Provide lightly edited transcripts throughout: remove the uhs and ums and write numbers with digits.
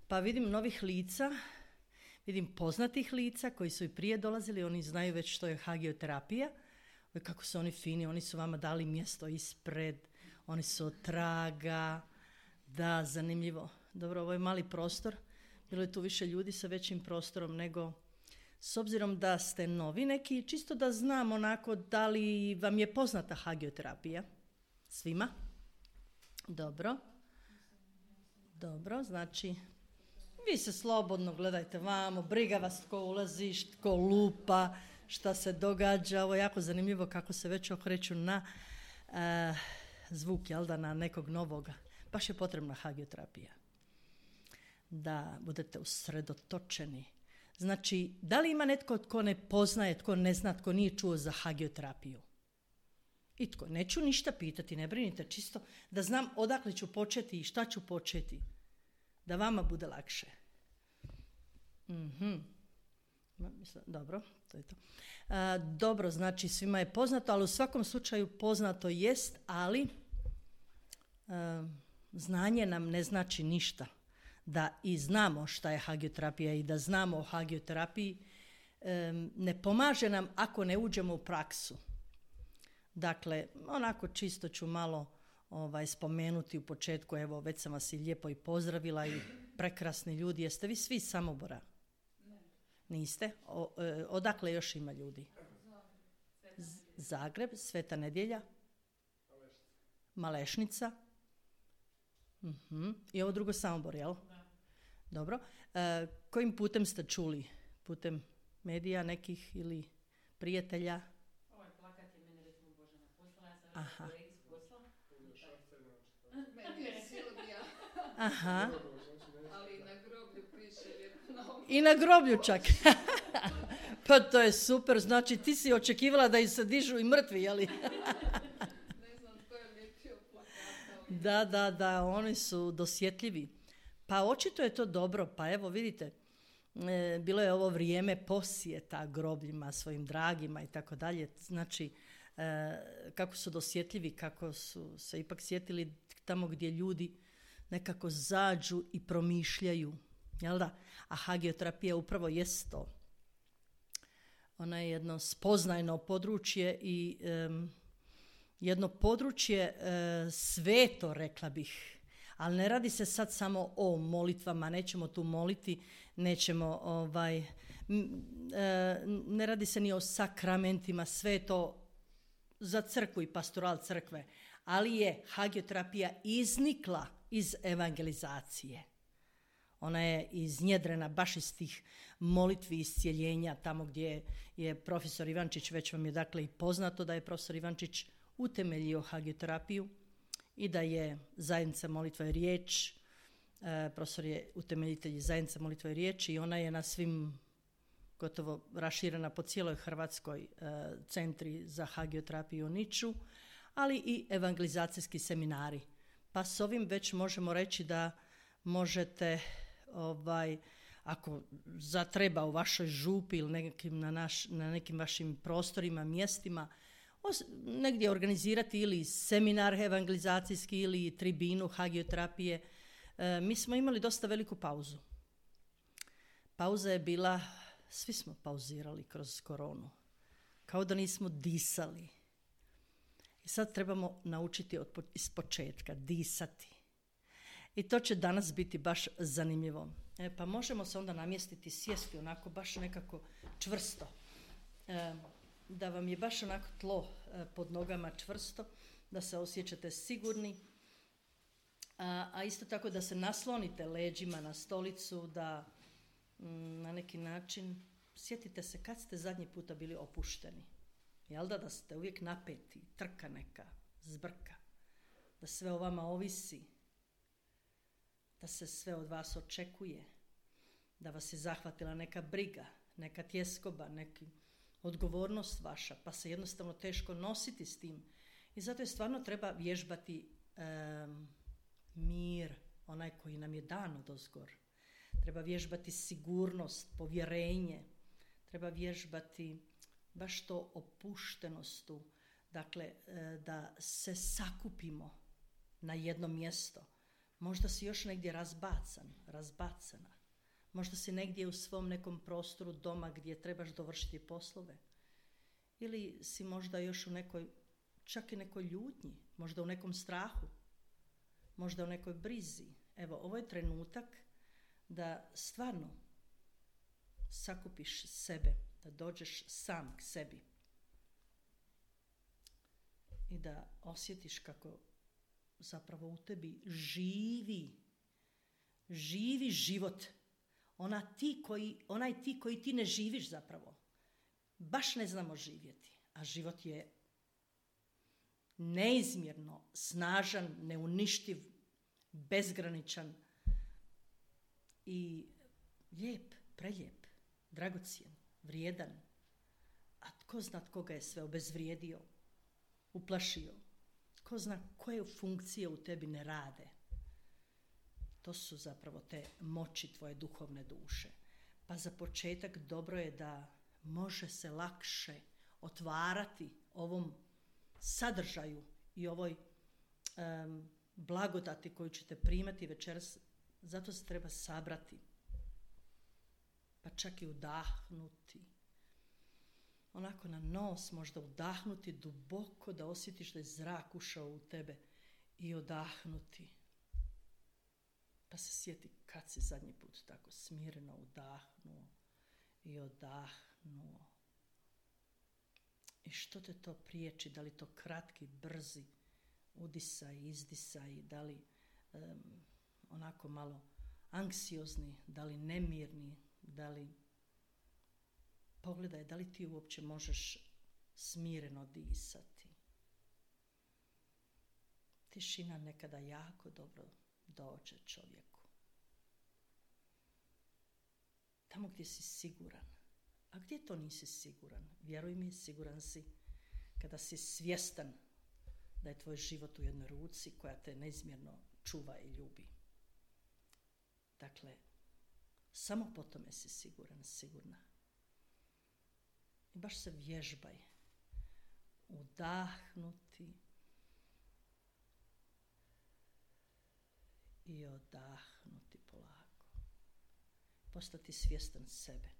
Pa vidim novih lica, vidim poznatih lica koji su i prije dolazili, oni znaju već što je hagioterapija, kako su oni fini, oni su vama dali mjesto ispred, oni su od traga, da, zanimljivo. Dobro, ovo je mali prostor, bilo je tu više ljudi sa većim prostorom nego, s obzirom da ste novi neki, čisto da znam onako da li vam je poznata hagioterapija. Svima? Dobro, znači vi se slobodno gledajte vamo, briga vas tko ulazi, tko lupa, šta se događa. Ovo je jako zanimljivo kako se već okreću na zvuk, jel da, na nekog novoga. Baš je potrebna hagioterapija. Da budete usredotočeni. Znači, da li ima netko tko ne poznaje, tko ne zna, tko nije čuo za hagioterapiju? I tko? Neću ništa pitati, ne brinite, čisto da znam odakle ću početi i šta ću početi. Da vama bude lakše. Dobro, to je to. Dobro, znači svima je poznato, ali u svakom slučaju poznato jest, ali znanje nam ne znači ništa. Da i znamo šta je hagioterapija i da znamo o hagioterapiji ne pomaže nam ako ne uđemo u praksu. Dakle, onako čisto ću malo spomenuti u početku, evo već sam vas i lijepo i pozdravila i prekrasni ljudi. Jeste vi svi iz Samobora? Ne. Niste? Odakle još ima ljudi? Zagreb, Sveta Nedjelja, Malešnica. I ovo drugo Samobor, jel? Da. Dobro. Kojim putem ste čuli? Putem medija nekih ili prijatelja? Ovaj plakat je mene recimo Božana poslala, ja sam Aha. kolegi s posla. Meni je Silvija. Aha. Ali na groblju piše lijepo. I na groblju čak. Pa to je super, znači ti si očekivala da im se dižu i mrtvi, jeli? Ne znam tko je lijepio plakata. Da, oni su dosjetljivi. Pa očito je to dobro, pa evo vidite, bilo je ovo vrijeme posjeta grobljima svojim dragima i tako dalje, znači kako su dosjetljivi, kako su se ipak sjetili tamo gdje ljudi nekako zađu i promišljaju, jel da? A hagioterapija upravo jest to. Ona je jedno spoznajno područje i jedno područje sveto, rekla bih. Ali ne radi se sad samo o molitvama, nećemo tu moliti, nećemo, ne radi se ni o sakramentima, sve je to za crkvu i pastoral crkve, ali je hagioterapija iznikla iz evangelizacije. Ona je iznjedrena baš iz tih molitvi iscijeljenja, tamo gdje je profesor Ivančić, već vam je dakle i poznato da je profesor Ivančić utemeljio hagioterapiju i da je zajednica molitva i riječ, profesor je utemeljitelj zajednice molitva i riječ i ona je na svim, gotovo raširena po cijeloj Hrvatskoj, centri za hagioterapiju u Niču, ali i evangelizacijski seminari. Pa s ovim već možemo reći da možete, ako zatreba u vašoj župi ili na nekim vašim prostorima, mjestima, negdje organizirati ili seminar evangelizacijski ili tribinu hagioterapije. Mi smo imali dosta veliku pauzu. Pauza je bila, svi smo pauzirali kroz koronu. Kao da nismo disali. I sad trebamo naučiti iz početka disati. I to će danas biti baš zanimljivo. Pa možemo se onda namjestiti, sjesti onako baš nekako čvrsto. Da vam je baš onako tlo pod nogama čvrsto, da se osjećate sigurni, a isto tako da se naslonite leđima na stolicu, da na neki način sjetite se kad ste zadnji puta bili opušteni. Jel da ste uvijek napeti, trka neka, zbrka, da sve o vama ovisi, da se sve od vas očekuje, da vas je zahvatila neka briga, neka tjeskoba, neki odgovornost vaša, pa se jednostavno teško nositi s tim. I zato je stvarno treba vježbati mir, onaj koji nam je dan odozgor. Treba vježbati sigurnost, povjerenje. Treba vježbati baš to opuštenosti. Dakle, da se sakupimo na jedno mjesto. Možda si još negdje razbacana. Možda si negdje u svom nekom prostoru doma gdje trebaš dovršiti poslove. Ili si možda još u nekoj, čak i nekoj ljutnji, možda u nekom strahu, možda u nekoj brizi. Evo, ovo je trenutak da stvarno sakupiš sebe, da dođeš sam k sebi i da osjetiš kako zapravo u tebi živi život. Onaj ti koji ti ne živiš zapravo. Baš ne znamo živjeti, a život je neizmjerno snažan, neuništiv, bezgraničan i lijep, prelijep, dragocjen, vrijedan. A tko zna tko ga je sve obezvrijedio, uplašio. Tko zna koje funkcije u tebi ne rade. To su zapravo te moći tvoje duhovne duše. Pa za početak dobro je da može se lakše otvarati ovom sadržaju i ovoj blagodati koju ćete primati večeras. Zato se treba sabrati, pa čak i udahnuti. Onako na nos možda udahnuti duboko da osjetiš da je zrak ušao u tebe i odahnuti. Pa se sjeti kad si zadnji put tako smireno udahnuo i odahnuo. I što te to priječi? Da li to kratki, brzi udisaj, izdisaj, da li onako malo anksiozni, da li nemirni, da li... Pogledaj, da li ti uopće možeš smireno disati. Tišina nekada jako dobro dođe čovjeku. Tamo gdje si siguran. A gdje to nisi siguran? Vjeruj mi, siguran si kada si svjestan da je tvoj život u jednoj ruci koja te neizmjerno čuva i ljubi. Dakle, samo po tome si siguran, sigurna. I baš se vježbaj udahnuti i odahnuti polako. Postati svjestan sebe.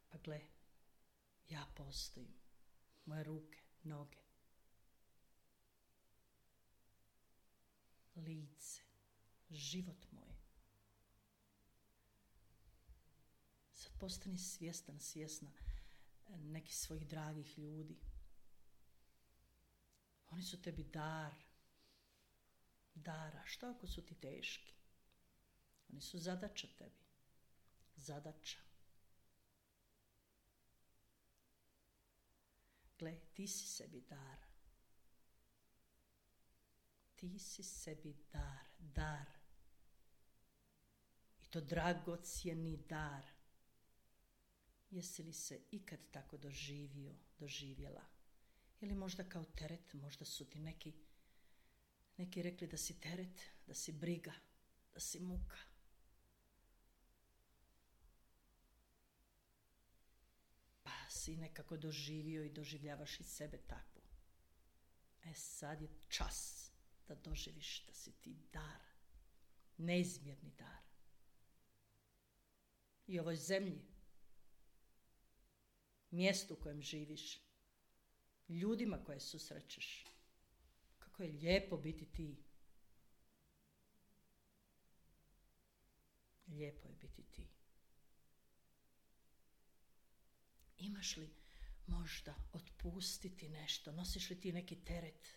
Pa gle, ja postojim. Moje ruke, noge, lice, život moj. Sad postani svjesna nekih svojih dragih ljudi. Oni su tebi dara. Što ako su ti teški? Oni su zadaća tebi. Zadaća. Gle, ti si sebi dar. Ti si sebi dar. I to dragocjeni dar. Jesi li se ikad tako doživjela? Ili možda kao teret, možda su ti neki rekli da si teret, da si briga, da si muka. Pa si nekako doživio i doživljavaš i sebe takvu. Sad je čas da doživiš da si ti dar, neizmjerni dar. I ovoj zemlji, mjestu u kojem živiš, ljudima koje susrećeš. Kako je lijepo biti ti. Lijepo je biti ti. Imaš li možda otpustiti nešto? Nosiš li ti neki teret?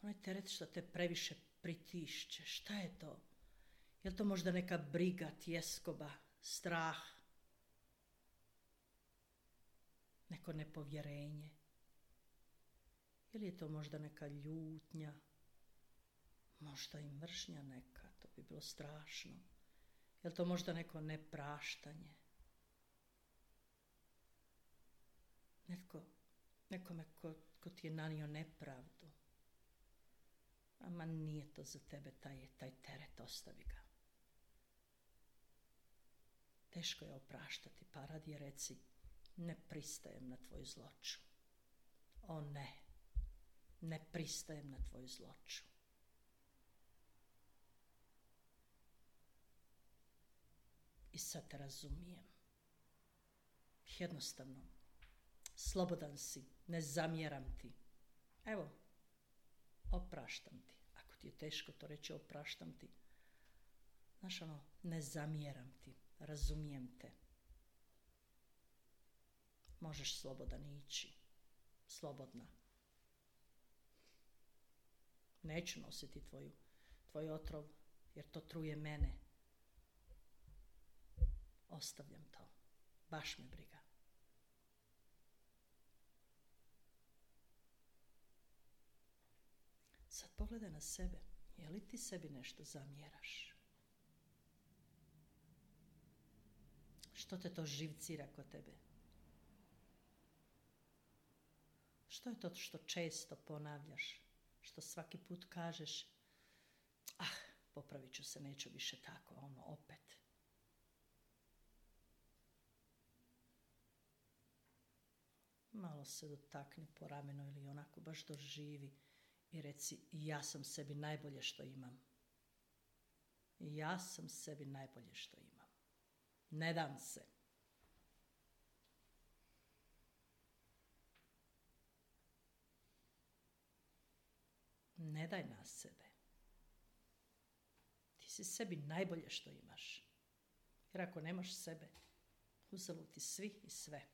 Onaj teret što te previše pritišće. Šta je to? Je li to možda neka briga, tjeskoba, strah? Neko nepovjerenje? Ili je to možda neka ljutnja? Možda i mržnja neka, to bi bilo strašno. Je li to možda neko nepraštanje? Nekome ko ti je nanio nepravdu. Ama nije to za tebe taj teret, ostavi ga. Teško je opraštati, pa radije reci, ne pristajem na tvoju zloću. O ne, Ne pristajem na tvoju zloču. I sad te razumijem. Jednostavno, slobodan si, ne zamjeram ti. Evo, opraštam ti. Ako ti je teško to reći, opraštam ti. Znaš ono, ne zamjeram ti, razumijem te. Možeš slobodan ići, slobodna. Neću nositi tvoj otrov, jer to truje mene. Ostavljam to, baš me briga. Sad pogledaj na sebe, je li ti sebi nešto zamjeraš? Što te to živcira kod tebe? Što je to što često ponavljaš? Što svaki put kažeš, popravit ću se, neću više tako, opet. Malo se dotakni po ramenu ili onako baš doživi i reci, ja sam sebi najbolje što imam. Ja sam sebi najbolje što imam. Ne dam se. Ne daj na sebe. Ti si sebi najbolje što imaš. Jer ako nemaš sebe, uzalud ti svi i sve.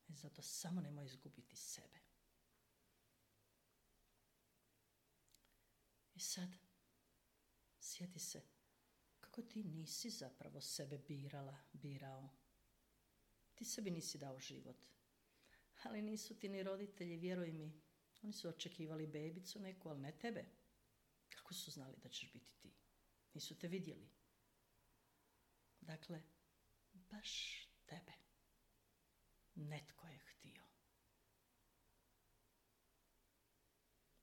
I zato samo nemoj izgubiti sebe. I sad, sjeti se kako ti nisi zapravo sebe birao. Ti sebi nisi dao život. Ali nisu ti ni roditelji, vjeruj mi. Oni su očekivali bebicu neku, ali ne tebe. Kako su znali da ćeš biti ti? Nisu te vidjeli. Dakle, baš tebe. Netko je htio.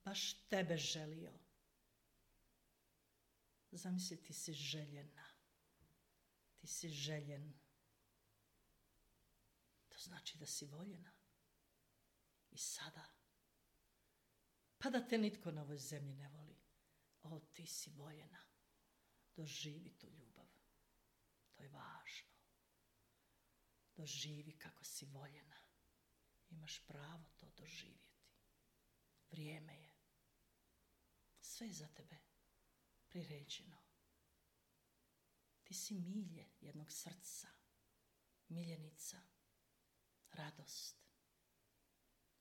Baš tebe želio. Zamisli, ti si željena. Ti si željen. To znači da si voljena. I sada. Pa da te nitko na ovoj zemlji ne voli. Ti si voljena. Doživi tu ljubav. To je važno. Doživi kako si voljena. Imaš pravo to doživjeti. Vrijeme je. Sve je za tebe priređeno. Ti si milje jednog srca. Miljenica. Radost.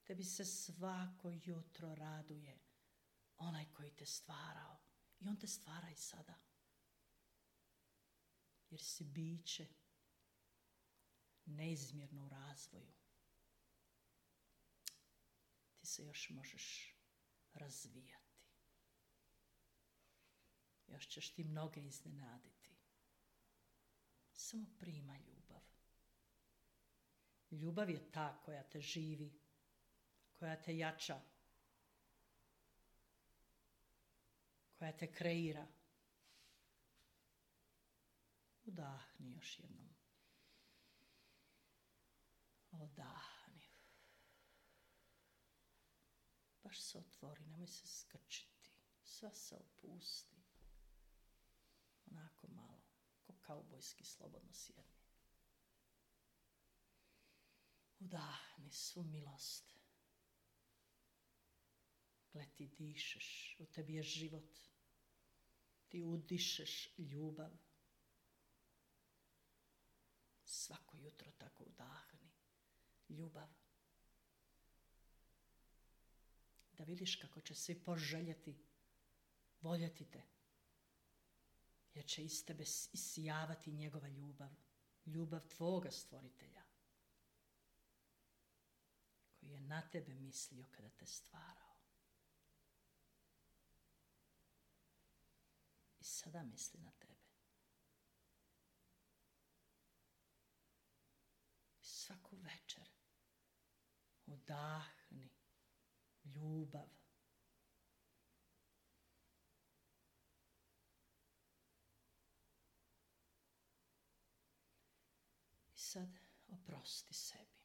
Tebi se svako jutro raduje onaj koji te stvarao. I on te stvara i sada. Jer si biće neizmjerno u razvoju. Ti se još možeš razvijati. Još ćeš ti mnoge iznenaditi. Samo primaj ljubav. Ljubav je ta koja te živi, koja te jača, koja te kreira. Udahni još jednom. Odahni. Baš se otvori, nemoj se skrčiti. Sve se opusti. Onako malo, ko kaubojski, slobodno sjedni. Udahni svu milost. Gle, ti dišeš, u tebi je život. Ti udišeš ljubav. Svako jutro tako udahni. Ljubav. Da vidiš kako će svi poželjeti, voljeti te. Jer će iz tebe isijavati njegova ljubav. Ljubav tvoga stvoritelja. Koji je na tebe mislio kada te stvarao. I sada misli na tebe. I svaku večer udahni ljubav. I sad oprosti sebi.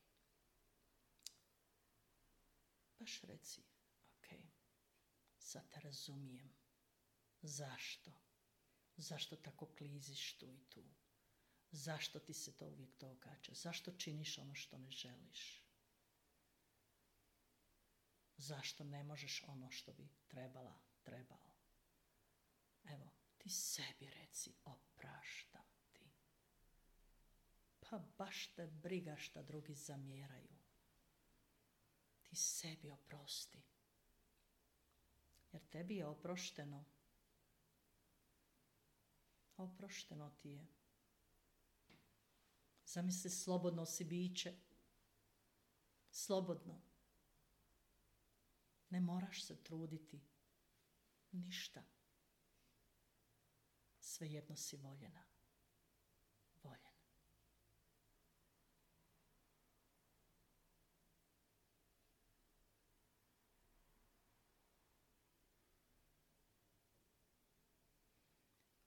baš reci, ok, sad te razumijem. Zašto? Zašto tako kliziš tu i tu? Zašto ti se to uvijek događa? Zašto činiš ono što ne želiš? Zašto ne možeš ono što bi trebao? Evo, ti sebi reci, opraštam ti. Pa baš te briga šta drugi zamjeraju. Ti sebi oprosti. Jer tebi je oprošteno. Oprošteno ti je. Zamisli, slobodno si biće. Slobodno. Ne moraš se truditi. Ništa. Svejedno si voljena. Voljen.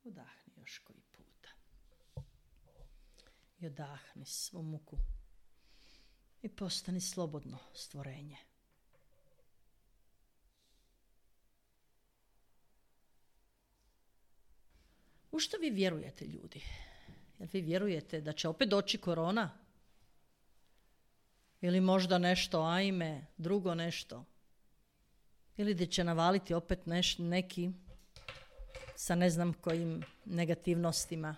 Udahni još koji puta. I odahni svu muku. I postani slobodno stvorenje. U što vi vjerujete, ljudi? Jel vi vjerujete da će opet doći korona? Ili možda nešto, ajme, drugo nešto? Ili da će navaliti opet neki sa ne znam kojim negativnostima?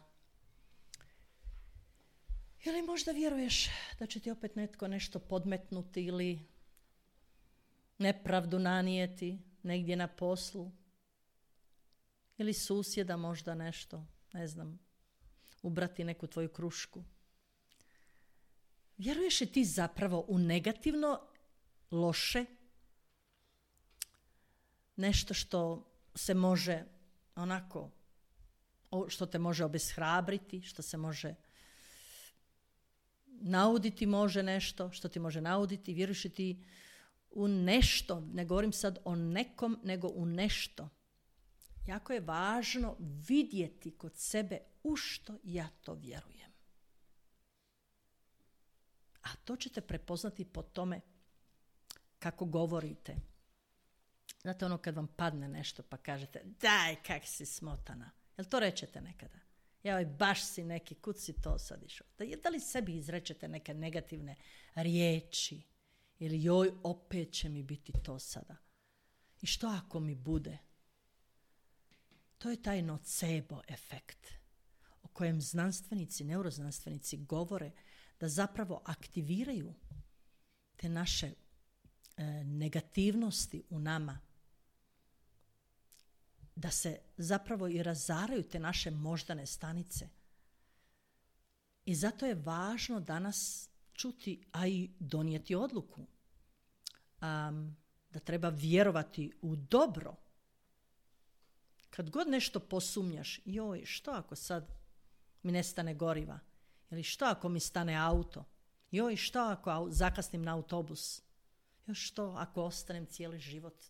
Ili možda vjeruješ da će ti opet netko nešto podmetnuti ili nepravdu nanijeti negdje na poslu? Ili susjeda možda nešto, ne znam, ubrati neku tvoju krušku. Vjeruješ li ti zapravo u negativno, loše, nešto što se može onako, što te može obeshrabriti, što se može nauditi, može nešto, što ti može nauditi? Vjeruješ li ti u nešto? Ne govorim sad o nekom, nego u nešto. Jako je važno vidjeti kod sebe u što ja to vjerujem. A to ćete prepoznati po tome kako govorite. Znate ono kad vam padne nešto pa kažete daj kak si smotana. Jel to rečete nekada? Joj baš si neki, kud si to sad išao? Da li sebi izrečete neke negativne riječi? Ili joj opet će mi biti to sada? I što ako mi bude? To je taj nocebo efekt o kojem znanstvenici, neuroznanstvenici govore da zapravo aktiviraju te naše negativnosti u nama, da se zapravo i razaraju te naše moždane stanice. I zato je važno danas čuti, a i donijeti odluku da treba vjerovati u dobro. Kad god nešto posumnjaš, joj, što ako sad mi nestane goriva? Ili što ako mi stane auto? Joj, što ako zakasnim na autobus? Još što ako ostanem cijeli život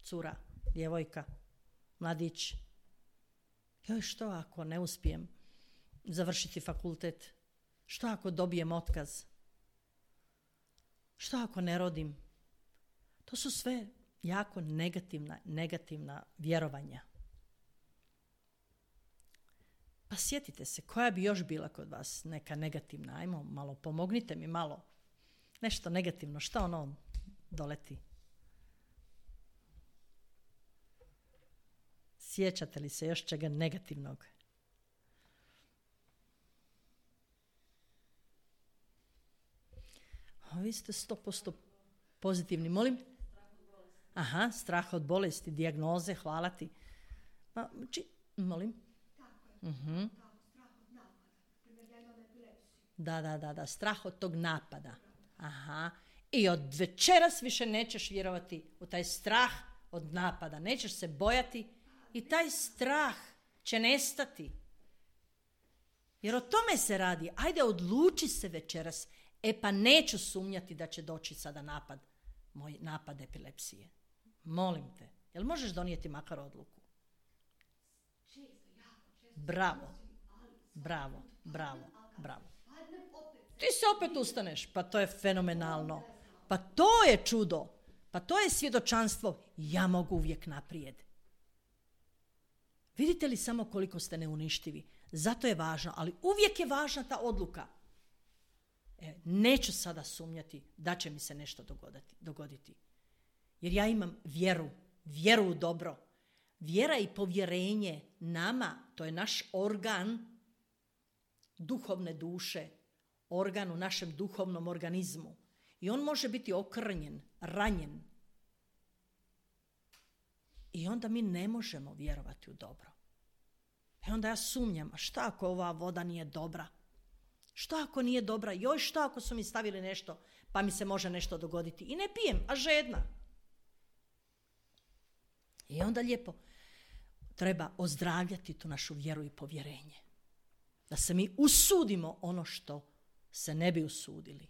cura, djevojka, mladić? Joj, što ako ne uspijem završiti fakultet? Što ako dobijem otkaz? Što ako ne rodim? To su sve jako negativna vjerovanja. Pa sjetite se, koja bi još bila kod vas neka negativna? Ajmo malo, pomognite mi malo. Nešto negativno, šta ono doleti? Sjećate li se još čega negativnog? Vi ste 100% pozitivni. Molim? Aha, strah od bolesti, dijagnoze, hvala ti. Molim? Uh-huh. Da, strah od tog napada. Aha. I od večeras više nećeš vjerovati u taj strah od napada. Nećeš se bojati i taj strah će nestati. Jer o tome se radi. Ajde, odluči se večeras. Pa neću sumnjati da će doći sada moj napad epilepsije. Molim te. Jel možeš donijeti makar odluku? Bravo. Ti se opet ustaneš. Pa to je fenomenalno. Pa to je čudo. Pa to je svjedočanstvo, ja mogu uvijek naprijed. Vidite li samo koliko ste neuništivi? Zato je važno, ali uvijek je važna ta odluka. Neću sada sumnjati da će mi se nešto dogoditi. Jer ja imam vjeru u dobro. Vjera i povjerenje nama, to je naš organ duhovne duše, organ u našem duhovnom organizmu. I on može biti okrnjen, ranjen. I onda mi ne možemo vjerovati u dobro. I onda ja sumnjam, a šta ako ova voda nije dobra? Šta ako nije dobra? Joj, šta ako su mi stavili nešto, pa mi se može nešto dogoditi? I ne pijem, a žedna. I onda lijepo treba ozdravljati tu našu vjeru i povjerenje. Da se mi usudimo ono što se ne bi usudili.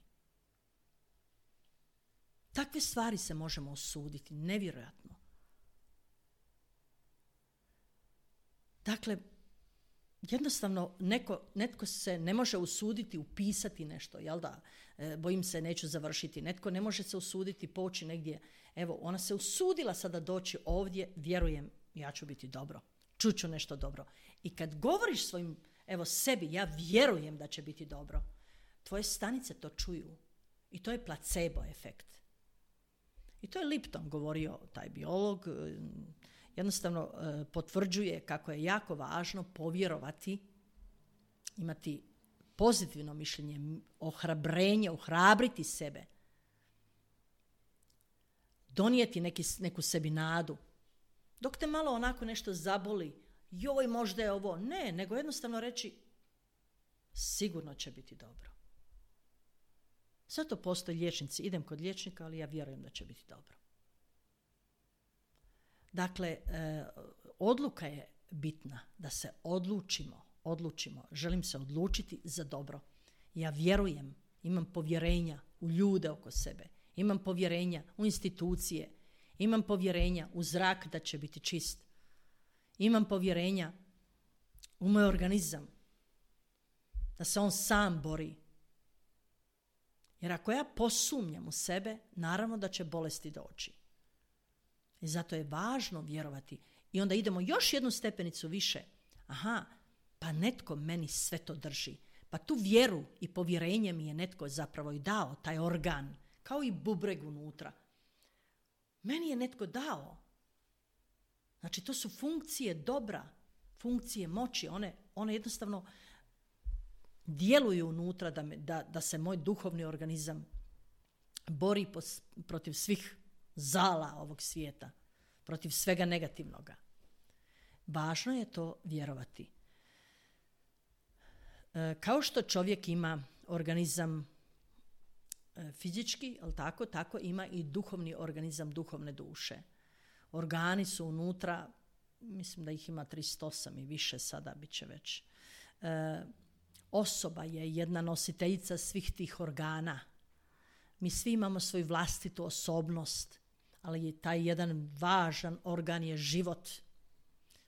Takve stvari se možemo usuditi, nevjerojatno. Dakle, jednostavno netko se ne može usuditi upisati nešto, jel da? Bojim se neću završiti. Netko ne može se usuditi poći negdje. Evo, ona se usudila sada doći ovdje, vjerujem, ja ću biti dobro. Čuću nešto dobro. I kad govoriš svojim, sebi, ja vjerujem da će biti dobro, tvoje stanice to čuju. I to je placebo efekt. I to je Lipton govorio, taj biolog, jednostavno potvrđuje kako je jako važno povjerovati, imati pozitivno mišljenje, ohrabrenje, ohrabriti sebe, donijeti neku sebi nadu. Dok te malo onako nešto zaboli, joj, možda je ovo, ne, nego jednostavno reći, sigurno će biti dobro. Zato postoje liječnici, idem kod liječnika, ali ja vjerujem da će biti dobro. Dakle, odluka je bitna, da se odlučimo. Želim se odlučiti za dobro. Ja vjerujem, imam povjerenja u ljude oko sebe, imam povjerenja u institucije, imam povjerenja u zrak da će biti čist, imam povjerenja u moj organizam, da se on sam bori. Jer ako ja posumnjam u sebe, naravno da će bolesti doći. I zato je važno vjerovati. I onda idemo još jednu stepenicu više. Aha, pa netko meni sve to drži. Pa tu vjeru i povjerenje mi je netko zapravo i dao, taj organ, kao i bubreg unutra. Meni je netko dao. Znači, to su funkcije dobra, funkcije moći. One jednostavno djeluju unutra da se moj duhovni organizam bori protiv svih zala ovog svijeta, protiv svega negativnoga. Važno je to vjerovati. Kao što čovjek ima organizam fizički, ali tako ima i duhovni organizam duhovne duše. Organi su unutra, mislim da ih ima 38 i više sada bit će već. Osoba je jedna nositeljica svih tih organa. Mi svi imamo svoju vlastitu osobnost, ali je taj jedan važan organ je život.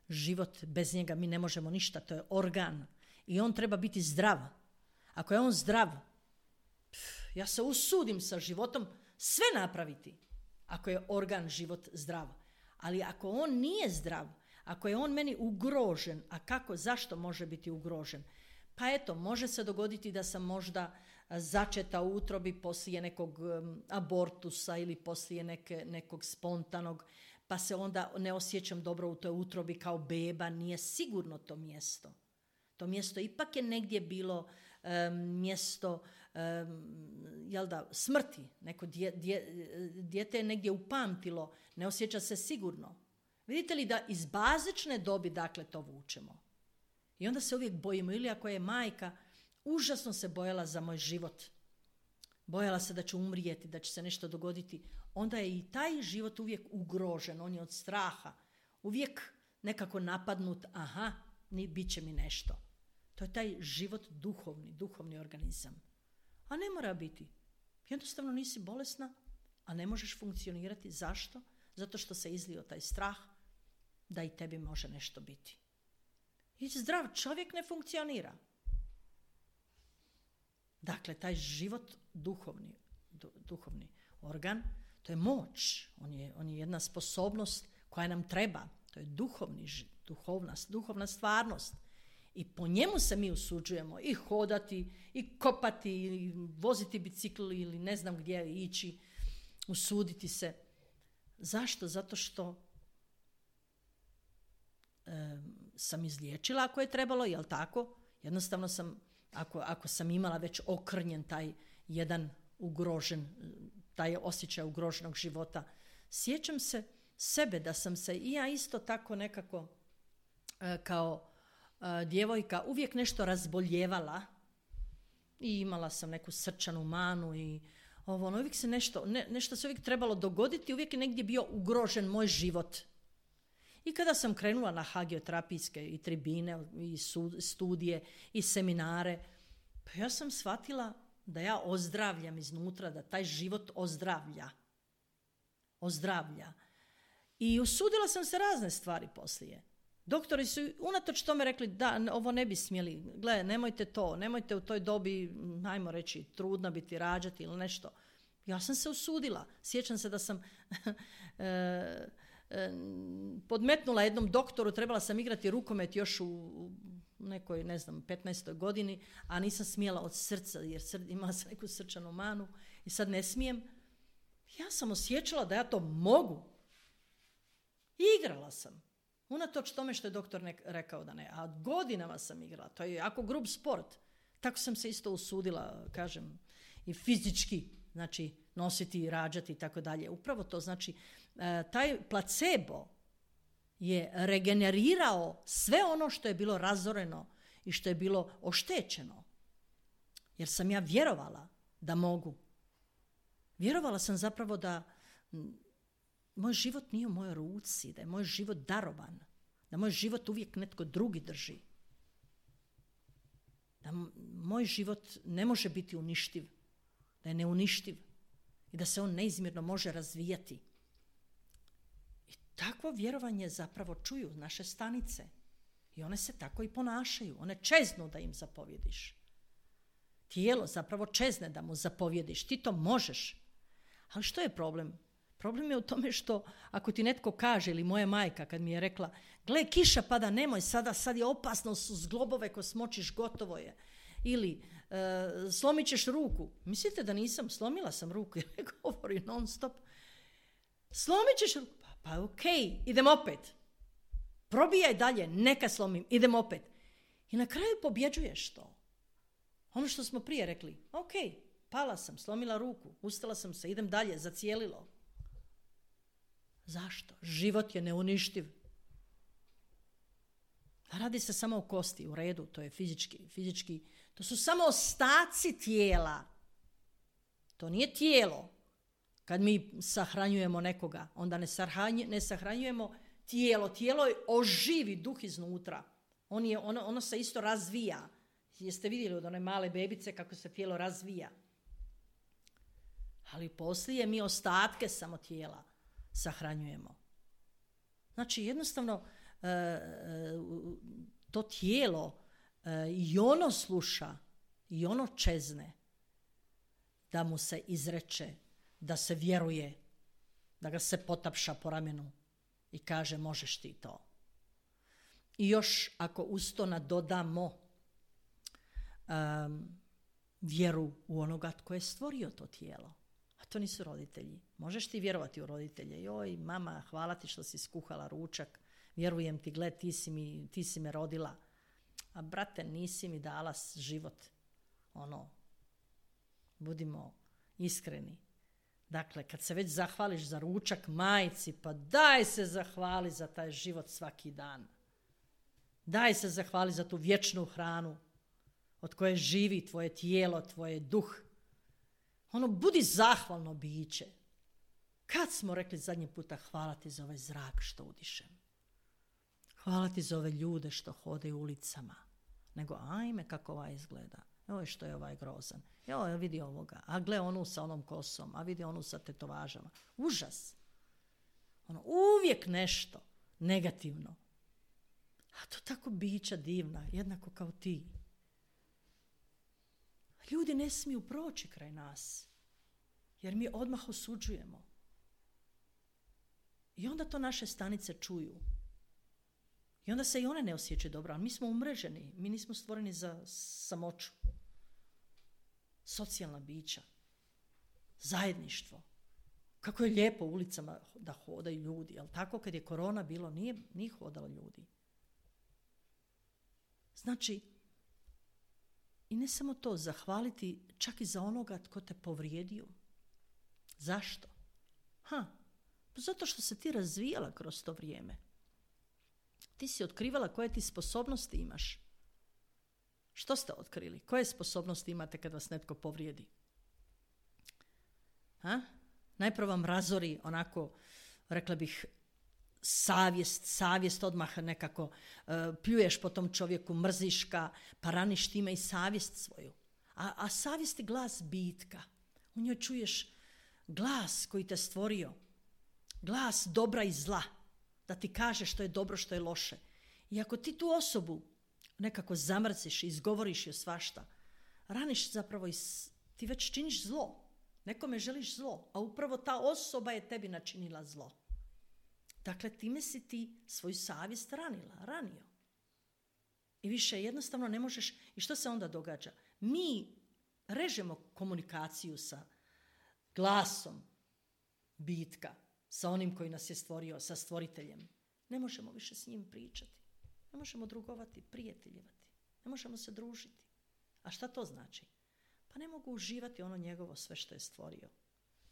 Život, bez njega mi ne možemo ništa, to je organ. I on treba biti zdrav. Ako je on zdrav, ja se usudim sa životom sve napraviti. Ako je organ, život zdrav. Ali ako on nije zdrav, ako je on meni ugrožen, a zašto može biti ugrožen? Pa eto, može se dogoditi da sam možda začeta u utrobi poslije nekog abortusa ili poslije nekog spontanog, pa se onda ne osjećam dobro u toj utrobi kao beba, nije sigurno to mjesto. To mjesto ipak je negdje bilo mjesto smrti. Neko dijete je negdje upamtilo, ne osjeća se sigurno. Vidite li da iz bazične dobi dakle to vučemo? I onda se uvijek bojimo, ili ako je majka, užasno se bojala za moj život. Bojala se da ću umrijeti, da će se nešto dogoditi. Onda je i taj život uvijek ugrožen, on je od straha. Uvijek nekako napadnut, bit će mi nešto. To je taj život duhovni organizam. A ne mora biti. Jednostavno nisi bolesna, a ne možeš funkcionirati. Zašto? Zato što se izlio taj strah da i tebi može nešto biti. I zdrav čovjek ne funkcionira. Dakle, taj život duhovni organ, To je moć. On je jedna sposobnost koja nam treba. To je duhovna stvarnost. I po njemu se mi usuđujemo i hodati, i kopati, i voziti bicikl ili ne znam gdje ići, usuditi se. Zašto? Zato što sam izliječila ako je trebalo, jel tako? Jednostavno sam, ako sam imala već okrnjen taj jedan ugrožen, taj osjećaj ugroženog života, sjećam se sebe da sam se i ja isto tako nekako kao djevojka uvijek nešto razboljevala i imala sam neku srčanu manu i uvijek se nešto se uvijek trebalo dogoditi, uvijek je negdje bio ugrožen moj život. I kada sam krenula na hagioterapijske i tribine, i studije, i seminare, pa ja sam shvatila da ja ozdravljam iznutra, da taj život ozdravlja. I usudila sam se razne stvari poslije. Doktori su unatoč tome rekli da ovo ne bi smjeli, gle, nemojte u toj dobi, ajmo reći, trudna biti, rađati ili nešto. Ja sam se usudila. Sjećam se da sam podmetnula jednom doktoru, trebala sam igrati rukomet još u nekoj, 15. godini, a nisam smjela od srca, jer imala sam neku srčanu manu i sad ne smijem. Ja sam osjećala da ja to mogu. I igrala sam. Unatoč tome što je doktor rekao da ne. A godinama sam igrala. To je jako grub sport. Tako sam se isto usudila, kažem, i fizički, znači nositi i rađati i tako dalje. Upravo to znači, taj placebo je regenerirao sve ono što je bilo razoreno i što je bilo oštećeno. Jer sam ja vjerovala da mogu. Vjerovala sam zapravo da moj život nije u mojoj ruci, da je moj život darovan, da moj život uvijek netko drugi drži. Da moj život ne može biti uništiv, da je neuništiv i da se on neizmjerno može razvijati. I takvo vjerovanje zapravo čuju naše stanice i one se tako i ponašaju. One čeznu da im zapovjediš. Tijelo zapravo čezne da mu zapovjediš. Ti to možeš. Ali što je problem? Problem je u tome što ako ti netko kaže, ili moja majka kad mi je rekla, gle, kiša pada, nemoj sada, sad je opasno, su zglobove ko smočiš, gotovo je. Ili slomit ćeš ruku. Mislite da nisam? Slomila sam ruku jer govori non stop. Slomit ćeš ruku. Pa okej, idem opet. Probijaj dalje, neka slomim, idem opet. I na kraju pobjeđuješ to. Ono što smo prije rekli, okej, pala sam, slomila ruku, ustala sam se, idem dalje, zacijelilo. Zašto? Život je neuništiv. Radi se samo o kosti, u redu, to je fizički. To su samo ostaci tijela. To nije tijelo. Kad mi sahranjujemo nekoga, onda ne sahranjujemo tijelo. Tijelo oživi duh iznutra. Ono se isto razvija. Jeste vidjeli od one male bebice kako se tijelo razvija? Ali poslije mi ostatke samo tijela sahranjujemo. Znači jednostavno to tijelo i ono sluša i ono čezne da mu se izreče, da se vjeruje, da ga se potapša po ramenu i kaže možeš ti to. I još ako uz to nadodamo vjeru u onoga tko je stvorio to tijelo. A to nisu roditelji. Možeš ti vjerovati u roditelje. Joj, mama, hvala ti što si skuhala ručak. Vjerujem ti, gled, ti si me rodila. A brate, nisi mi dala život. Budimo iskreni. Dakle, kad se već zahvališ za ručak majci, pa daj se zahvali za taj život svaki dan. Daj se zahvali za tu vječnu hranu od koje živi tvoje tijelo, tvoj duh. Budi zahvalno biće. Kad smo rekli zadnji puta hvala ti za ovaj zrak što udišem? Hvala ti za ove ljude što hodaju ulicama. Nego ajme kako ovaj izgleda. Joj što je ovaj grozan. Joj vidi ovoga. A gle onu sa onom kosom. A vidi onu sa tetovažama. Užas. Uvijek nešto negativno. A to tako bića divna. Jednako kao ti. Ljudi ne smiju proći kraj nas, jer mi odmah osuđujemo. I onda to naše stanice čuju. I onda se i one ne osjećaju dobro, ali mi smo umreženi, mi nismo stvoreni za samoću. Socijalna bića, zajedništvo. Kako je lijepo u ulicama da hodaju ljudi, ali tako kad je korona bilo, nije hodalo ljudi. Znači, i ne samo to, zahvaliti čak i za onoga tko te povrijedio. Zašto? Pa zato što se ti razvijala kroz to vrijeme. Ti si otkrivala koje ti sposobnosti imaš. Što ste otkrili? Koje sposobnosti imate kad vas netko povrijedi? Najprvo vam razori onako, rekla bih, savjest odmah nekako, pljuješ po tom čovjeku, mrziš ga, pa raniš time i savjest svoju. A savjest je glas bitka. U njoj čuješ glas koji te stvorio, glas dobra i zla, da ti kaže što je dobro, što je loše. I ako ti tu osobu nekako zamrziš i izgovoriš joj svašta, raniš zapravo ti već činiš zlo. Nekome želiš zlo, a upravo ta osoba je tebi načinila zlo. Dakle, time si ti svoju savjest ranio. I više jednostavno ne možeš. I što se onda događa? Mi režemo komunikaciju sa glasom bitka, sa onim koji nas je stvorio, sa stvoriteljem. Ne možemo više s njim pričati. Ne možemo drugovati, prijateljevati. Ne možemo se družiti. A šta to znači? Pa ne mogu uživati ono njegovo sve što je stvorio.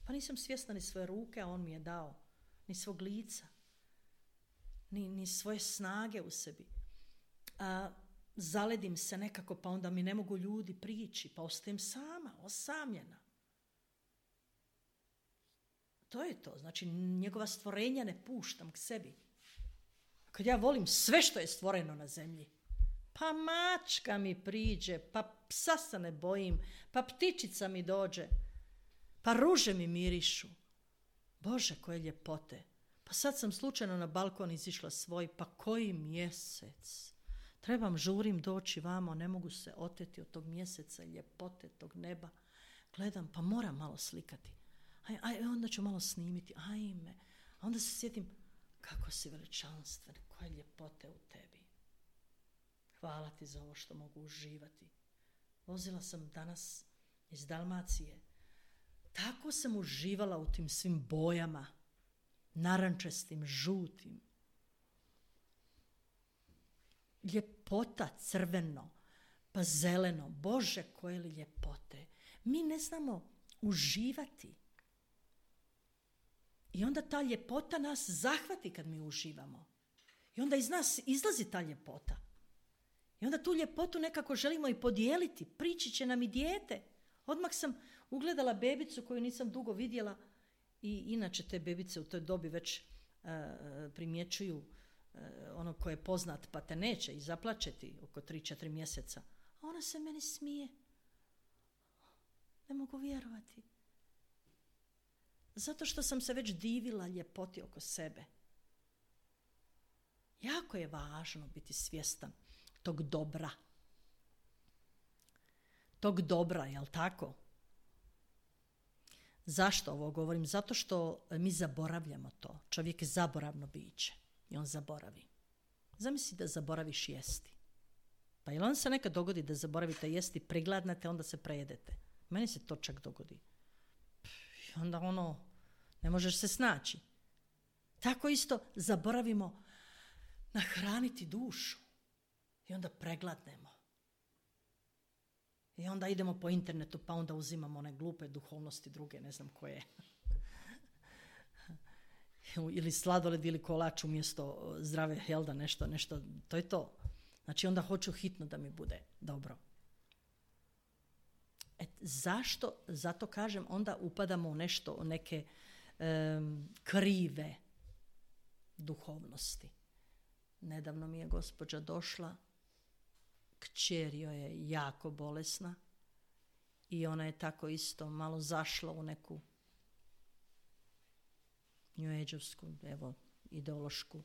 Pa nisam svjesna ni svoje ruke, a on mi je dao. Ni svog lica. Ni svoje snage u sebi. Zaledim se nekako, pa onda mi ne mogu ljudi prići, pa ostajem sama, osamljena. To je to. Znači, njegova stvorenja ne puštam k sebi. Kad ja volim sve što je stvoreno na zemlji, pa mačka mi priđe, pa psa se ne bojim, pa ptičica mi dođe, pa ruže mi mirišu. Bože, koje ljepote. Pa sad sam slučajno na balkon izišla svoj, pa koji mjesec. Žurim doći vamo, ne mogu se oteti od tog mjeseca, ljepote tog neba. Gledam, pa moram malo slikati. Onda ću malo snimiti, ajme. A onda se sjetim, kako si veličanstven, koje ljepote u tebi. Hvala ti za ovo što mogu uživati. Vozila sam danas iz Dalmacije. Tako sam uživala u tim svim bojama, narančastim, žutim. Ljepota, crveno, pa zeleno. Bože, koje li ljepote. Mi ne znamo uživati. I onda ta ljepota nas zahvati kad mi uživamo. I onda iz nas izlazi ta ljepota. I onda tu ljepotu nekako želimo i podijeliti. Prići će nam i dijete. Odmah sam ugledala bebicu koju nisam dugo vidjela. I inače te bebice u toj dobi već primjećuju ono ko je poznat pa te neće i zaplačeti oko 3-4 mjeseca. A ona se meni smije. Ne mogu vjerovati. Zato što sam se već divila ljepoti oko sebe. Jako je važno biti svjestan tog dobra. Tog dobra, jel tako? Zašto ovo govorim? Zato što mi zaboravljamo to. Čovjek je zaboravno biće i on zaboravi. Zamisli da zaboraviš jesti. Pa jel on se nekad dogodi da zaboravite jesti, prigladnete, onda se prejedete. Meni se to čak dogodi. I onda ne možeš se snaći. Tako isto zaboravimo nahraniti dušu. I onda pregladnemo. I onda idemo po internetu, pa onda uzimamo one glupe duhovnosti druge, ne znam koje. Ili sladoled ili kolač umjesto zdrave helda, nešto, to je to. Znači onda hoću hitno da mi bude dobro. Zašto? Zato kažem, onda upadamo u nešto, u neke krive duhovnosti. Nedavno mi je gospođa došla, kćer joj je jako bolesna i ona je tako isto malo zašla u neku New Age-ovsku, ideološku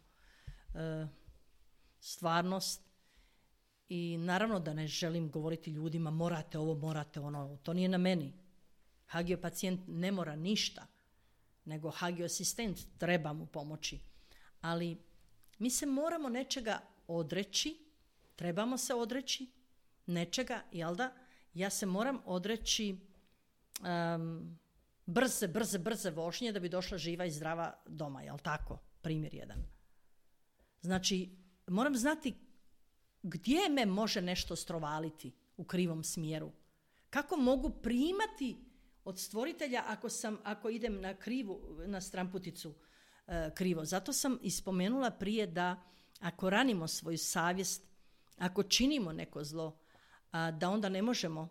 stvarnost. I naravno da ne želim govoriti ljudima morate ovo, morate ono, to nije na meni. Hagio pacijent ne mora ništa. nego hagio asistent treba mu pomoći. Ali mi se moramo nečega odreći, trebamo se odreći nečega, jel da? Ja se moram odreći brze vožnje da bi došla živa i zdrava doma, jel tako? Primjer jedan. Znači, moram znati gdje me može nešto strovaliti u krivom smjeru. Kako mogu primati od stvoritelja ako idem na stramputicu krivo. Zato sam ispomenula prije da ako ranimo svoju savjest, ako činimo neko zlo, da onda ne možemo,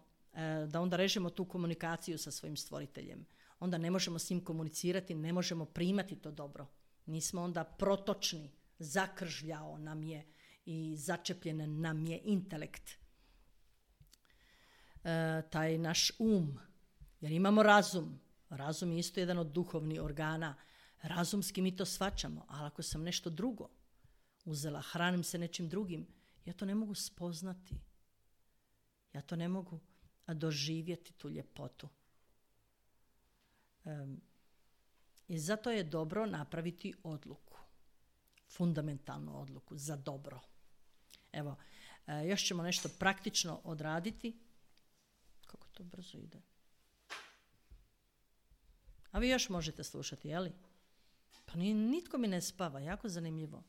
da onda režemo tu komunikaciju sa svojim stvoriteljem. Onda ne možemo s njim komunicirati, ne možemo primati to dobro. Nismo onda protočni, zakržljao nam je i začepljen nam je intelekt. Taj naš jer imamo razum. Razum je isto jedan od duhovnih organa. Razumski mi to shvaćamo, ali ako sam nešto drugo uzela, hranim se nečim drugim, ja to ne mogu spoznati. Ja to ne mogu doživjeti tu ljepotu. I zato je dobro napraviti odluku. Fundamentalnu odluku za dobro. Evo, još ćemo nešto praktično odraditi. Kako to brzo ide. A vi još možete slušati, jeli? Pa nitko mi ne spava, jako zanimljivo.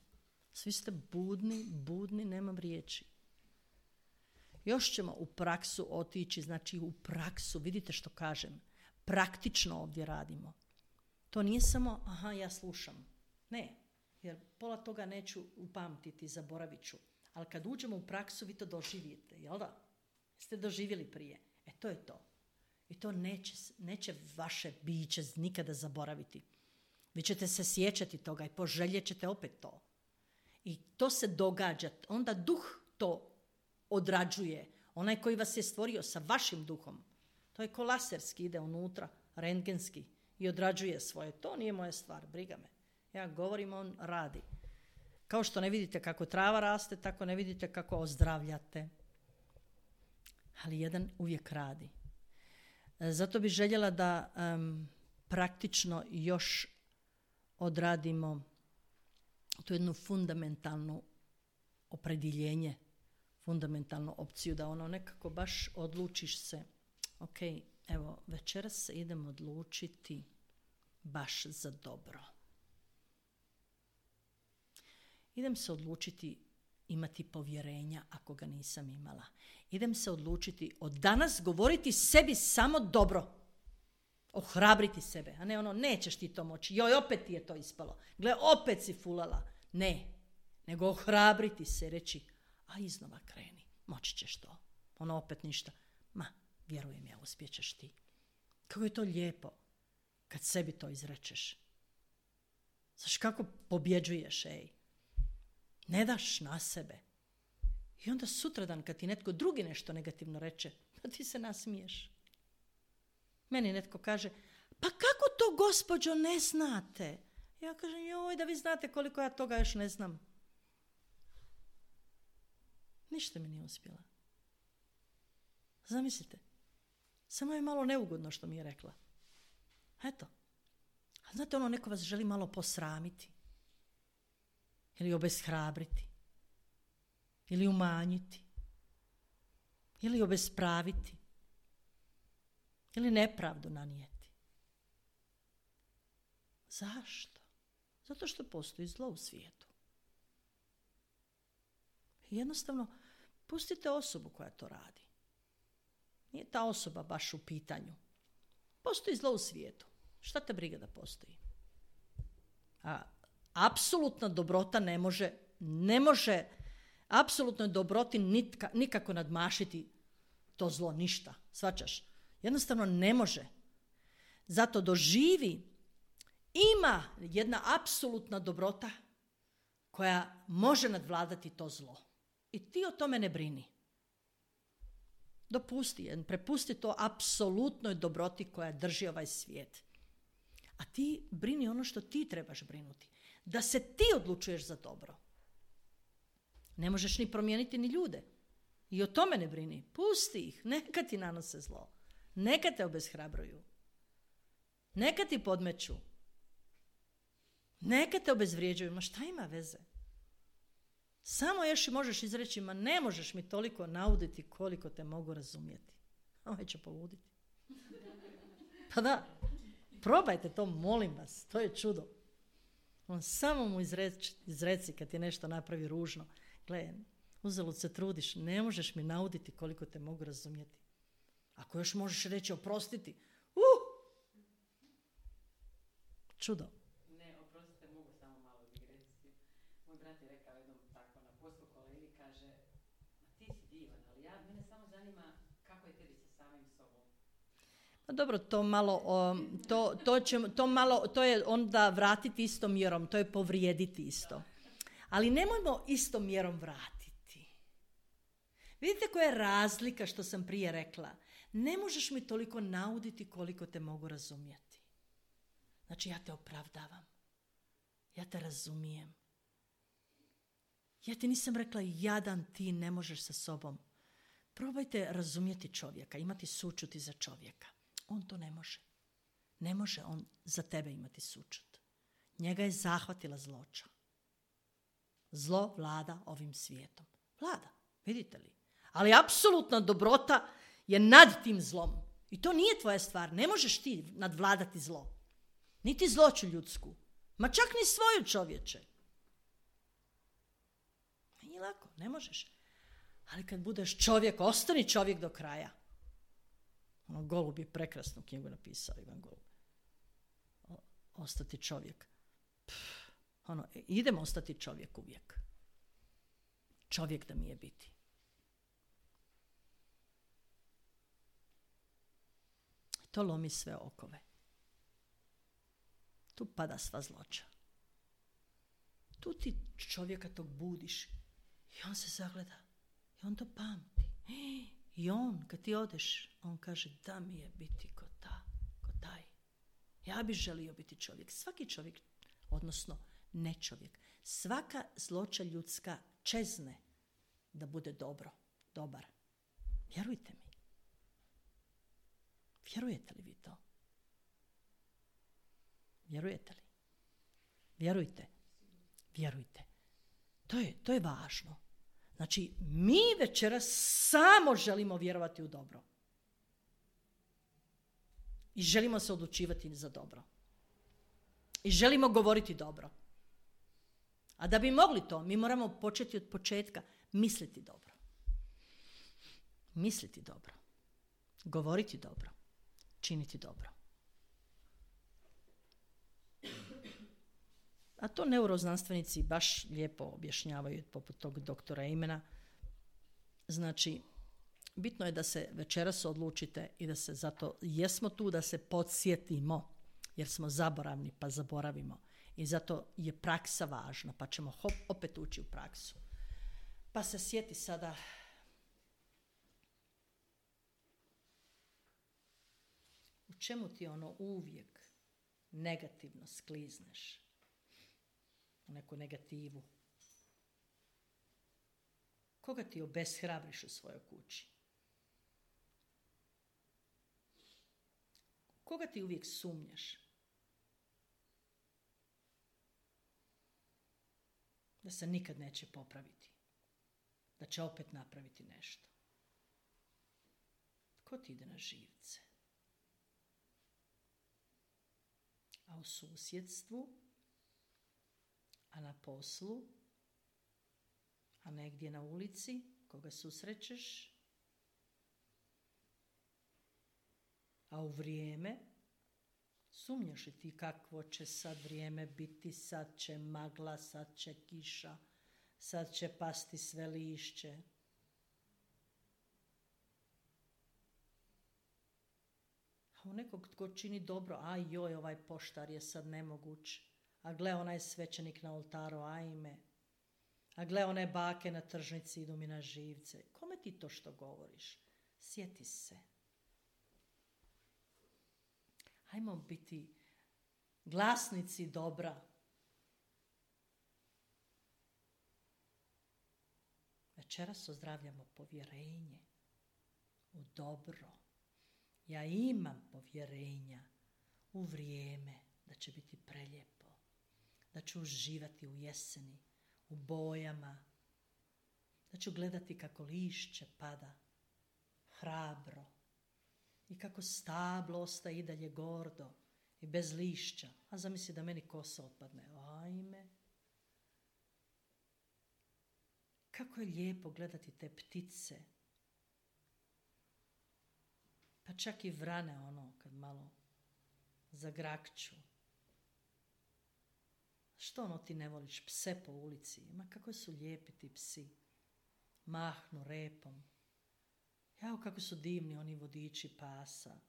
Svi ste budni, nemam riječi. Još ćemo u praksu otići, znači u praksu, vidite što kažem, praktično ovdje radimo. To nije samo, ja slušam. Ne, jer pola toga neću upamtiti, zaboravit ću. Ali kad uđemo u praksu, vi to doživite, jel da? Ste doživjeli prije. To je to. I to neće vaše biće nikada zaboraviti. Vi ćete se sjećati toga i poželjet ćete opet to. I to se događa. Onda duh to odrađuje. Onaj koji vas je stvorio sa vašim duhom. To je ko laserski, ide unutra, rentgenski i odrađuje svoje. To nije moja stvar, briga me. Ja govorim, on radi. Kao što ne vidite kako trava raste, tako ne vidite kako ozdravljate. Ali jedan uvijek radi. Zato bih željela da praktično još odradimo tu jednu fundamentalnu opredjeljenje, fundamentalnu opciju, da ono nekako baš odlučiš se, ok, evo, večeras se idem odlučiti baš za dobro. Idem se odlučiti imati povjerenja ako ga nisam imala. Idem se odlučiti od danas govoriti sebi samo dobro. Ohrabriti sebe, a ne ono, nećeš ti to moći. Joj, opet ti je to ispalo. Gle, opet si fulala. Ne, nego ohrabriti se i reći, a iznova kreni, moći ćeš to. Ono opet ništa. Ma, vjerujem ja, uspjećeš ti. Kako je to lijepo kad sebi to izrečeš. Znaš kako pobjeđuješ, Ne daš na sebe. I onda sutradan kad ti netko drugi nešto negativno reče, pa ti se nasmiješ. Meni netko kaže, pa kako to gospođo ne znate? Ja kažem, joj, da vi znate koliko ja toga još ne znam. Ništa mi nije uspjela. Zamislite, samo je malo neugodno što mi je rekla. Eto. A znate, neko vas želi malo posramiti. Ili obeshrabriti. Ili umanjiti. Ili obespraviti. Ili nepravdu nanijeti. Zašto? Zato što postoji zlo u svijetu. Jednostavno, pustite osobu koja to radi. Nije ta osoba baš u pitanju. Postoji zlo u svijetu. Šta te briga da postoji? A apsolutna dobrota ne može apsolutnoj dobroti nikako nadmašiti to zlo, ništa. Shvaćaš? Jednostavno ne može. Zato doživi, ima jedna apsolutna dobrota koja može nadvladati to zlo. I ti o tome ne brini. Prepusti to apsolutnoj dobroti koja drži ovaj svijet. A ti brini ono što ti trebaš brinuti. Da se ti odlučuješ za dobro. Ne možeš ni promijeniti ni ljude. I o tome ne brini. Pusti ih. Neka ti nanose zlo. Neka te obeshrabruju. Neka ti podmeću. Neka te obezvrijeđuju, ma šta ima veze? Samo još možeš izreći, ma ne možeš mi toliko nauditi koliko te mogu razumjeti. Ovaj će poluditi. Pa da, probajte to, molim vas, to je čudo. On samo mu izreci kad ti nešto napravi ružno. Gle, uzalud se trudiš, ne možeš mi nauditi koliko te mogu razumjeti. Ako još možeš reći oprostiti, čudo. Ne, oprostite, mogu samo malo digresiju. Moj brat je rekao jednom tako na poslu kolegi, kaže, ti si divan, ali mene samo zanima kako je tebi sa samim sobom. Pa dobro, to je onda vratiti istom mjerom, to je povrijediti isto. Ali nemojmo istom mjerom vratiti. Vidite koja je razlika što sam prije rekla. Ne možeš mi toliko nauditi koliko te mogu razumjeti. Znači ja te opravdavam. Ja te razumijem. Ja ti nisam rekla jadan ti ne možeš sa sobom. Probajte razumjeti čovjeka, imati sućuti za čovjeka. On to ne može. Ne može on za tebe imati sućut. Njega je zahvatila zloća. Zlo vlada ovim svijetom. Vlada, vidite li? Ali apsolutna dobrota je nad tim zlom. I to nije tvoja stvar. Ne možeš ti nadvladati zlo. Niti zloću ljudsku. Ma čak ni svoju, čovječe. Nije lako, ne možeš. Ali kad budeš čovjek, ostani čovjek do kraja. Golub je prekrasnu knjigu napisao, Ivan Golub. Ostati čovjek. Idemo ostati čovjek uvijek. Čovjek da mi je biti. To lomi sve okove. Tu pada sva zloća. Tu ti čovjeka tog budiš i on se zagleda i on to pamti. I on, kad ti odeš, on kaže da mi je biti ko taj. Ja bih želio biti čovjek. Svaki čovjek, odnosno ne čovjek. Svaka zloća ljudska čezne da bude dobar. Vjerujte mi. Vjerujete li vi to? Vjerujete li? Vjerujte. To je važno. Znači, mi večeras samo želimo vjerovati u dobro. I želimo se odlučivati za dobro. I želimo govoriti dobro. A da bi mogli to, mi moramo početi od početka misliti dobro. Misliti dobro. Govoriti dobro. Činiti dobro. A to neuroznanstvenici baš lijepo objašnjavaju poput tog doktora Imena. Znači, bitno je da se večeras odlučite i da se zato jesmo tu da se podsjetimo, jer smo zaboravni pa zaboravimo. I zato je praksa važna, pa ćemo opet ući u praksu. Pa se sjeti sada u čemu ti uvijek negativno sklizneš. U neku negativu. Koga ti obeshrabriš u svojoj kući? Koga ti uvijek sumnjaš? Da se nikad neće popraviti. Da će opet napraviti nešto. Ko ti ide na živce? A u susjedstvu, a na poslu, a negdje na ulici, koga susrećeš, a u vrijeme, sumnjaš li ti kakvo će sad vrijeme biti, sad će magla, sad će kiša, sad će pasti sve lišće. A u nekog tko čini dobro, aj joj, ovaj poštar je sad nemoguć. A gle, onaj svećenik na oltaru, ajme. A gle, one bake na tržnici idu mi na živce. Kome ti to što govoriš? Sjeti se. Ajmo biti glasnici dobra. Večeras ozdravljamo povjerenje u dobro. Ja imam povjerenja u vrijeme da će biti preljepo. da ću uživati u jeseni, u bojama, da ću gledati kako lišće pada, hrabro, i kako stablo ostaje i dalje gordo i bez lišća, a zamisli da meni kosa otpadne. Ajme. Kako je lijepo gledati te ptice, pa čak i vrane kad malo zagrakću. Što ti ne voliš pse po ulici? Ma kako su lijepi ti psi. Mahnu repom. Jao kako su divni oni vodiči pasa.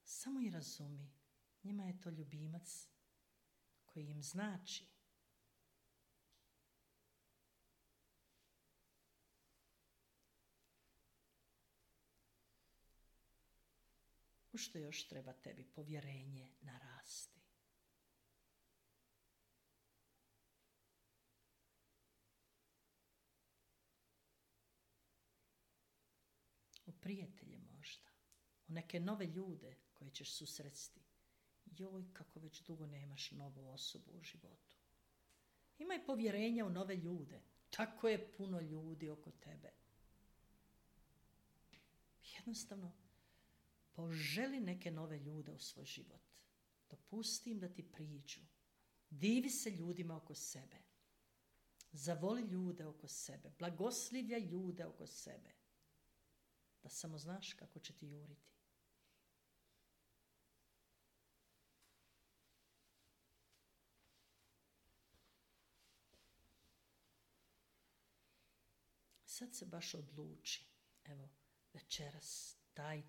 Samo i razumi. Njima je to ljubimac koji im znači. U što još treba tebi povjerenje narasti? U prijatelje možda, u neke nove ljude koje ćeš susresti. Joj, kako već dugo nemaš novu osobu u životu. Imaj povjerenja u nove ljude. Tako je puno ljudi oko tebe. Jednostavno, poželi neke nove ljude u svoj život. Dopusti im da ti priđu. Divi se ljudima oko sebe. Zavoli ljude oko sebe. Blagoslivljaj ljude oko sebe. Da samo znaš kako će ti juriti. Sad se baš odluči. Evo, večeras, taj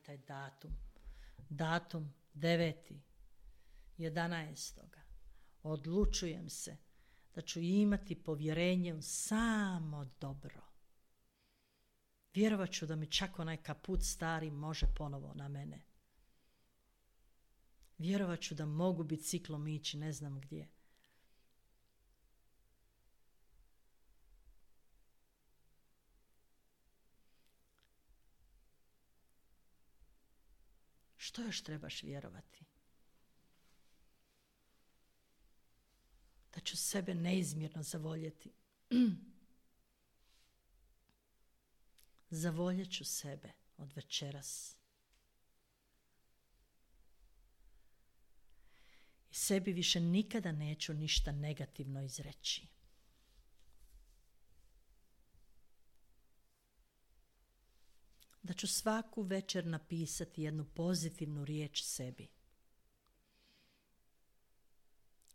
datum 9.11. Odlučujem se da ću imati povjerenje u samo dobro. Vjerovat ću da mi čak onaj kaput stari može ponovo na mene. Vjerovat ću da mogu biciklom ići ne znam gdje. Što još trebaš vjerovati? Da ću sebe neizmjerno zavoljeti. Zavoljet ću sebe od večeras. I sebi više nikada neću ništa negativno izreći. Da ću svaku večer napisati jednu pozitivnu riječ sebi.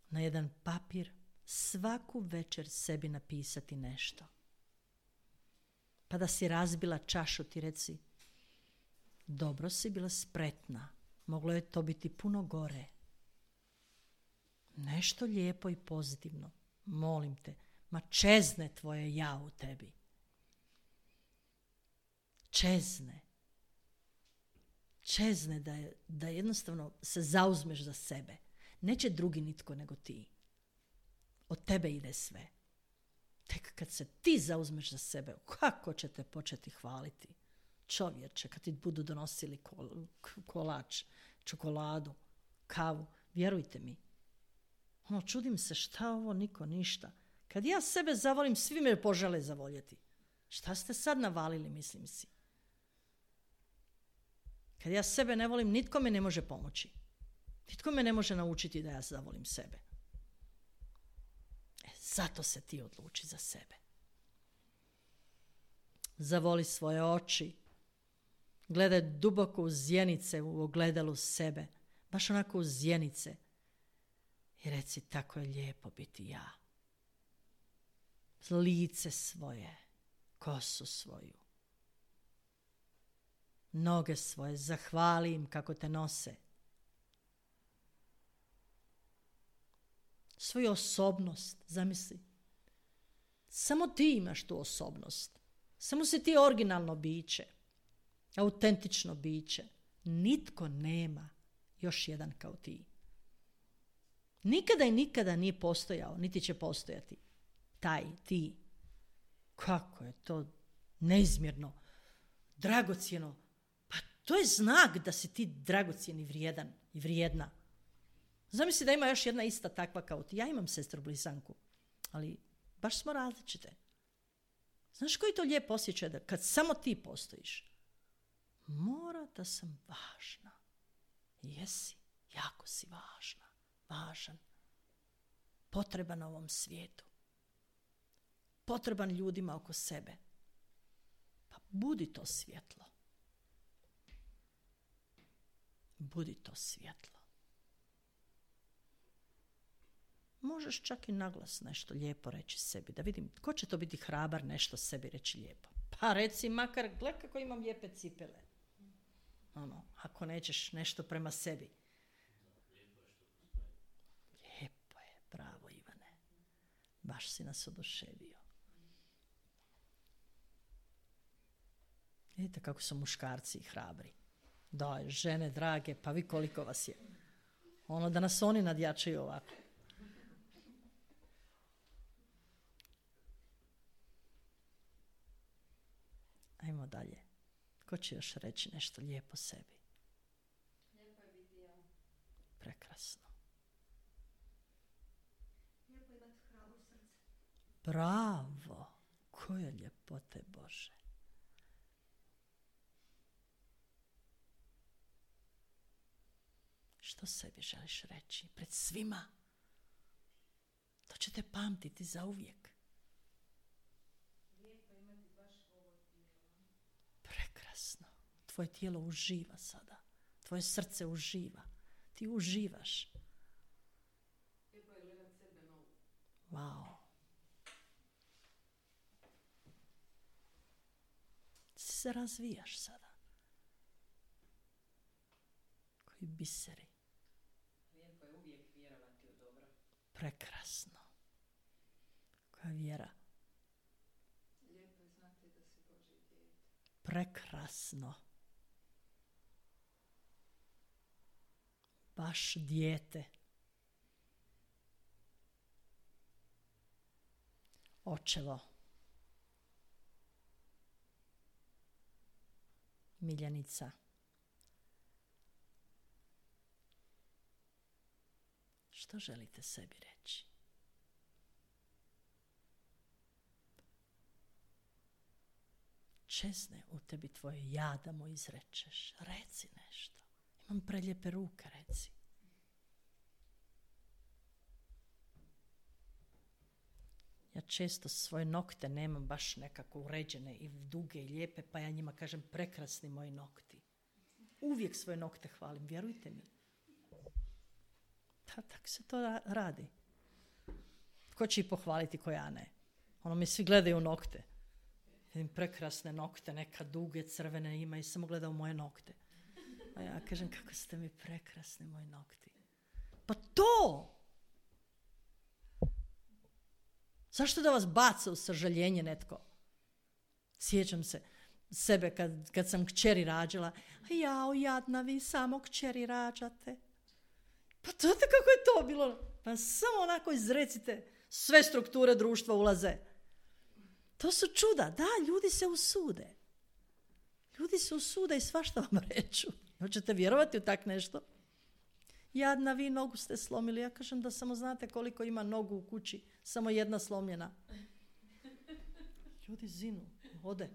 Na jedan papir svaku večer sebi napisati nešto. Pa da si razbila čašu ti reci, dobro si bila spretna, moglo je to biti puno gore. Nešto lijepo i pozitivno, molim te, ma čezne tvoje ja u tebi. Čezne da jednostavno se zauzmeš za sebe. Neće drugi nitko nego ti. Od tebe ide sve. Tek kad se ti zauzmeš za sebe, kako će te početi hvaliti? Čovječe, kad ti budu donosili kolač, čokoladu, kavu, vjerujte mi. Čudim se šta ovo, niko ništa. Kad ja sebe zavolim, svi me požele zavoljeti. Šta ste sad navalili, mislim si? Kad ja sebe ne volim, nitko me ne može pomoći. Nitko me ne može naučiti da ja zavolim sebe. Zato se ti odluči za sebe. Zavoli svoje oči. Gledaj duboko u zjenice u ogledalu sebe. Baš onako u zjenice. I reci, tako je lijepo biti ja. Lice svoje, kosu svoju, noge svoje, zahvali im kako te nose. Svoju osobnost, zamisli. Samo ti imaš tu osobnost. Samo si ti originalno biće, autentično biće. Nitko nema još jedan kao ti. Nikada i nikada nije postojao, niti će postojati. Taj, ti. Kako je to neizmjerno, dragocjeno. Pa to je znak da si ti dragocjen i vrijedan i vrijedna. Zamisli da ima još jedna ista takva kao ti. Ja imam sestru blizanku, ali baš smo različite. Znaš koji to lijep osjećaj da kad samo ti postojiš? Mora da sam važna. Jesi, jako si važna, važan. Potreban ovom svijetu. Potreban ljudima oko sebe. Pa budi to svjetlo. Budi to svjetlo. Možeš čak i naglas nešto lijepo reći sebi. Da vidim, ko će to biti hrabar nešto sebi reći lijepo. Pa reci makar, gle kako imam lijepe cipele. Ako nećeš nešto prema sebi. Lijepo je, bravo Ivane. Baš si nas oduševio. Vidite kako su muškarci hrabri. Daj, žene drage, pa vi koliko vas je. Da nas oni nadjačaju ovako. Ajmo dalje. Ko će još reći nešto lijepo sebi? Lijepo je biti ja. Prekrasno. Lijepo je imati hrabro srce. Bravo! Koje ljepote Bože. Što sebi želiš reći? Pred svima. To ćete pamtiti zauvijek. Lijepo je imati baš ovo tijelo. Prekrasno. Tvoje tijelo uživa sada. Tvoje srce uživa. Ti uživaš. Lijepo je gledat sebe novu. Wow. Se razvijaš sada. Koji biseri. Lijepo je uvijek vjerovati u dobro. Prekrasno. Koja vjera. Lijepo je znati da si Božje dijete. Prekrasno. Baš dijete. Očevo. Miljenica. Što želite sebi reći? Čezne u tebi tvoje ja da mu izrečeš. Reci nešto. Imam prelijepe ruke, reci. Ja često svoje nokte nemam baš nekako uređene i duge i lijepe, pa ja njima kažem prekrasni moji nokti. Uvijek svoje nokte hvalim, vjerujte mi. Tako se to radi. Tko će ih pohvaliti, ko ja ne? Mi svi gledaju nokte. Vidim prekrasne nokte, neka duge, crvene ima i samo gleda u moje nokte. A ja kažem, kako ste mi prekrasni moji nokti. Pa to! Zašto da vas baca u sažaljenje netko? Sjećam se sebe kad sam kćeri rađala. Jao, jadna, vi samo kćeri rađate. Pa znate kako je to bilo? Pa samo onako izrecite, sve strukture društva ulaze. To su čuda. Da, ljudi se usude. Ljudi se usude i svašta vam reću. Hoćete vjerovati u tak nešto? Jadna, vi nogu ste slomili. Ja kažem da samo znate koliko ima nogu u kući. Samo jedna slomljena. Ljudi zinu, ode.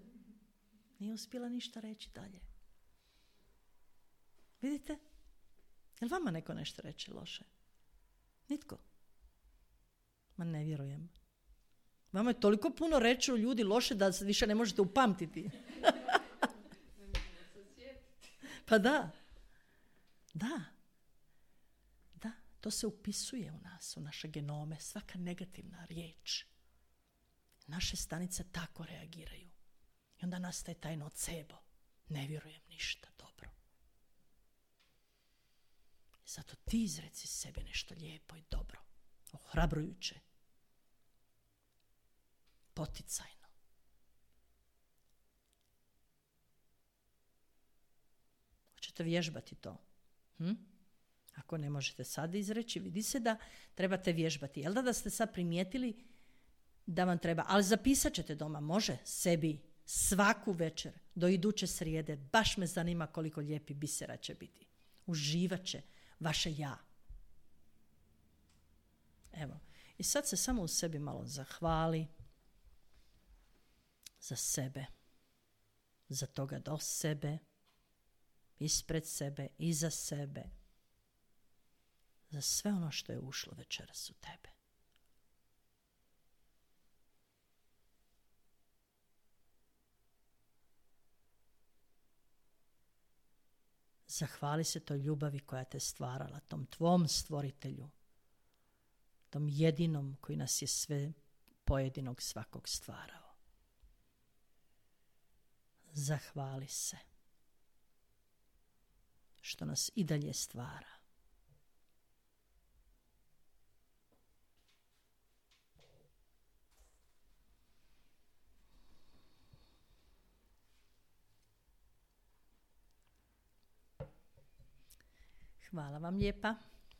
Nije uspjela ništa reći dalje. Vidite? Jel vama neko nešto reče loše? Nitko. Ma ne vjerujem. Vama je toliko puno reći u ljudi loše da se više ne možete upamtiti. Pa da. Da. Da. To se upisuje u nas, u naše genome. Svaka negativna riječ. Naše stanice tako reagiraju. I onda nastaje taj nocebo. Ne vjerujem ništa dobro. Zato ti izreci sebi nešto lijepo i dobro. Ohrabrujuće. Poticajno. Hoćete vježbati to? Ako ne možete sad izreći, vidi se da trebate vježbati. Jel da ste sad primijetili da vam treba? Ali zapisat ćete doma, može, sebi svaku večer do iduće srijede. Baš me zanima koliko lijepi bisera će biti. Uživat će vaše ja. Evo. I sad se samo u sebi malo zahvali za sebe, za toga do sebe, ispred sebe, iza sebe, za sve ono što je ušlo večeras u tebe. Zahvali se toj ljubavi koja te stvarala, tom tvom stvoritelju, tom jedinom koji nas je sve pojedinog svakog stvarao. Zahvali se što nas i dalje stvara. Hvala vam lijepa.